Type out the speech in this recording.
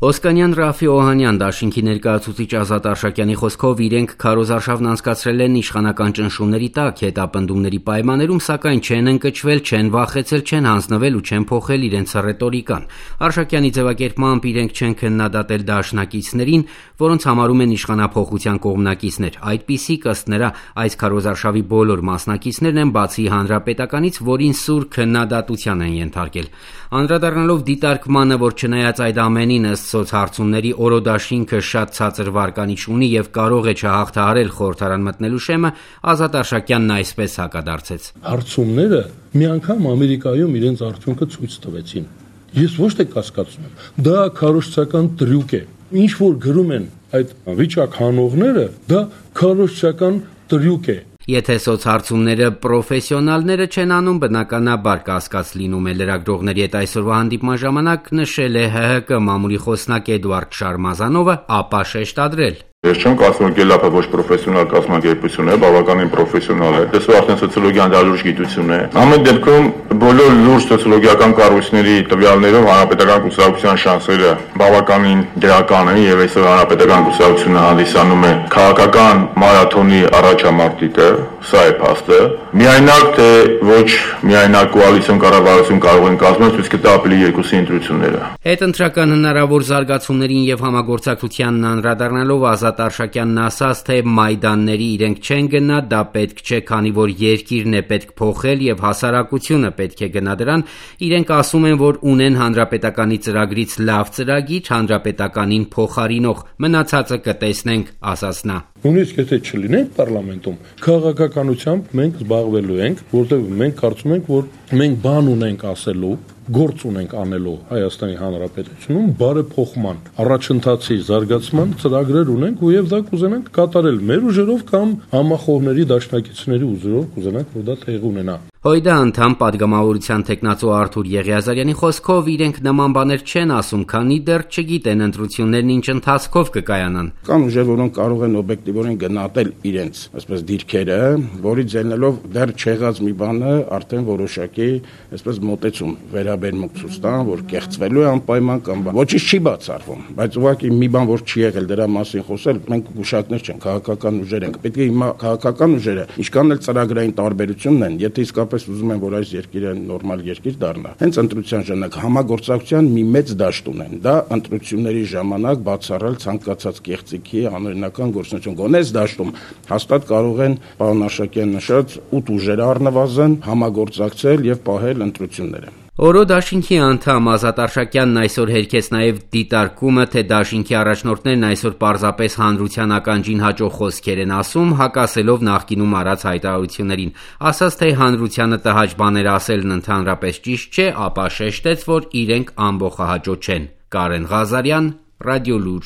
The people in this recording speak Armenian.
Օսկանյան Ռաֆի Օհանյան դաշինքի ներկայացուցիչ Ազատ Արշակյանի խոսքով իրենք քարոզարշավն անցկացրել են իշխանական ճնշումների տակ, հետապնդումների պայմաններում, սակայն չեն ընկճվել, չեն վախեցել, չեն հանձնվել ու չեն փոխել իրենց ռետորիկան։ Արշակյանի ձևակերպմամբ իրենք չեն քննադատել դաշնակիցներին, որոնց համարում են իշխանափոխության կողմնակիցներ։ Այդպիսիք ըստ նրա այս քարոզարշավի բոլոր մասնակիցներն են, բացի Հանրապետականից, որին սուր քննադատության են ենթարկել։ Անդրադառնալով դիտարկմանը, որ չնայած այդ ամենին ըստ սոցհարցումների օրոդաշինքը շատ ցածր վարկանիշ ունի եւ կարող է չհաղթահարել խորհրդարան մտնելու շեմը, Ազատ Արշակյանն այսպես հակադարձեց. Հարցումները մի անգամ Ամերիկայում իրենց արդյունքը ցույց տվեցին։ Ես ոչ թե կասկածում եմ, դա քարոզչական տրյուկ է։ Ինչ որ գրում են այդ վիճակ հանողները, դա քարոզչական տրյուկ է։ Եթե սոցհարցումները պրոֆեսիոնալները չեն անում, բնականաբար կասկած լինում է լրագրողների հետ այսօրվա հանդիպման ժամանակ, նշել է ՀՀԿ մամուլի խոսնակ Էդուարդ Շարմազանովը, ապա շեշտադրել. Ես չեմ կարծում, որ Գելափը ոչ պրոֆեսիոնալ կազմակերպություն է, բավականին պրոֆեսիոնալ է։ Դեսու արդեն սոցիոլոգիան դա լուրջ գիտություն է։ Ամեն դեպքում բոլոր լուրջ սոցիոլոգիական կառույցների տվյալներով հանրապետական կուսակցության շանսերը բավականին դրական են եւ այսօր հանրապետական կուսակցությունը հանդիսանում է քաղաքական մարաթոնի առաջամարտիկը, սա է փաստը։ Միայնակ թե ոչ միայնակ կոալիցիոն կառավարություն կարող են կազմել, ցույց կտա ապրիլի 2-ի ընտրությունները։ Հետընտրական հնարավոր զարգացումներին եւ համագործակցությանն անդրադառնալով Ազատ Արշակյանն ասաց, թե մայդանների իրենք չեն գնա, դա պետք չէ, քանի որ երկիրն է պետք փոխել եւ հասարակությունը պետք է գնա դրան։ Իրենք ասում են, որ ունեն հանրապետականի ծրագրից լավ ծրագիր, հանրապետականին փոխարինող, մնացածը կտեսնենք, ասաց նա։ Նույնիսկ եթե չլինենք պարլամենտում, քաղաքականությամբ մենք զբաղվելու ենք, որտեղ մենք կարծում ենք, որ մենք բան ունենք ասելու, գործ ունենք անելու Հայաստանի Հանրապետությունում բարեփոխման, առաջընթացի զարգացման ծրագրեր ունենք ու եւ դա կուզենանք կատարել մեր ուժերով կամ համախոհների դաշնակիցների ուժերով կուզենանք, որ դա տեղի ունենա։ ՀՅԴ անդամ падգամավորության տեխնացու Արթուր Եղիազարյանի խոսքով իրենք նման բաներ չեն ասում, քանի դեռ չգիտեն ընտրություններն ինչ ընթացքով կկայանան։ Կան ուժեր, որոնք կարող են օբյեկտիվորեն գնահատել իրենց, այսպես դիրքերը, որից ելնելով դեռ չեղած մի բանը արդեն որոշակի, այսպես մոտեցում վերաբերմունք ցույց տան, որ կեղծվելու է անպայման կամ ոչինչ չի բացառվում, բայց ուղղակի մի բան, որ չի եղել դրա մասին խոսել, մենք գուշակներ չենք, քաղաքական ուժեր ենք։ Պետք է հիմա քաղաքական ուժերը, ինչքան էլ ծրագրային տարբերությունն են, եթե իսկապես ուզում են, որ այս երկիրը նորմալ երկիր դառնա, հենց ընտրության ժամանակ համագործակցության մի մեծ դաշտ ունեն։ Դա ընտրությունների ժամանակ բացառել ցանկացած կեղծիքի անօրինական գործունեություն։ Գոնես դաշտում հաստատ կարող են պարոն Արշակյան նշած 8 ուժեր առնվազն համագործակցել եւ պահել ընտրությունները։ Օրո դաշինքի անդամ Ազատ Արշակյանն այսօր հերքեց նաև դիտարկումը, թե դաշինքի առաջնորդներն այսօր պարզապես հանրության ականջին հաճող խոսքեր են ասում, հակասելով նախկինում արած հայտարարություններին։ Ասաց, թե հանրությանը տհաճ բաներ ասելն ընդհանրապես ճիշտ չէ, ապա շեշտեց, որ իրենք ամբողջահաճո չեն։ Կարեն Ղազարյան, Ռադիոլուր։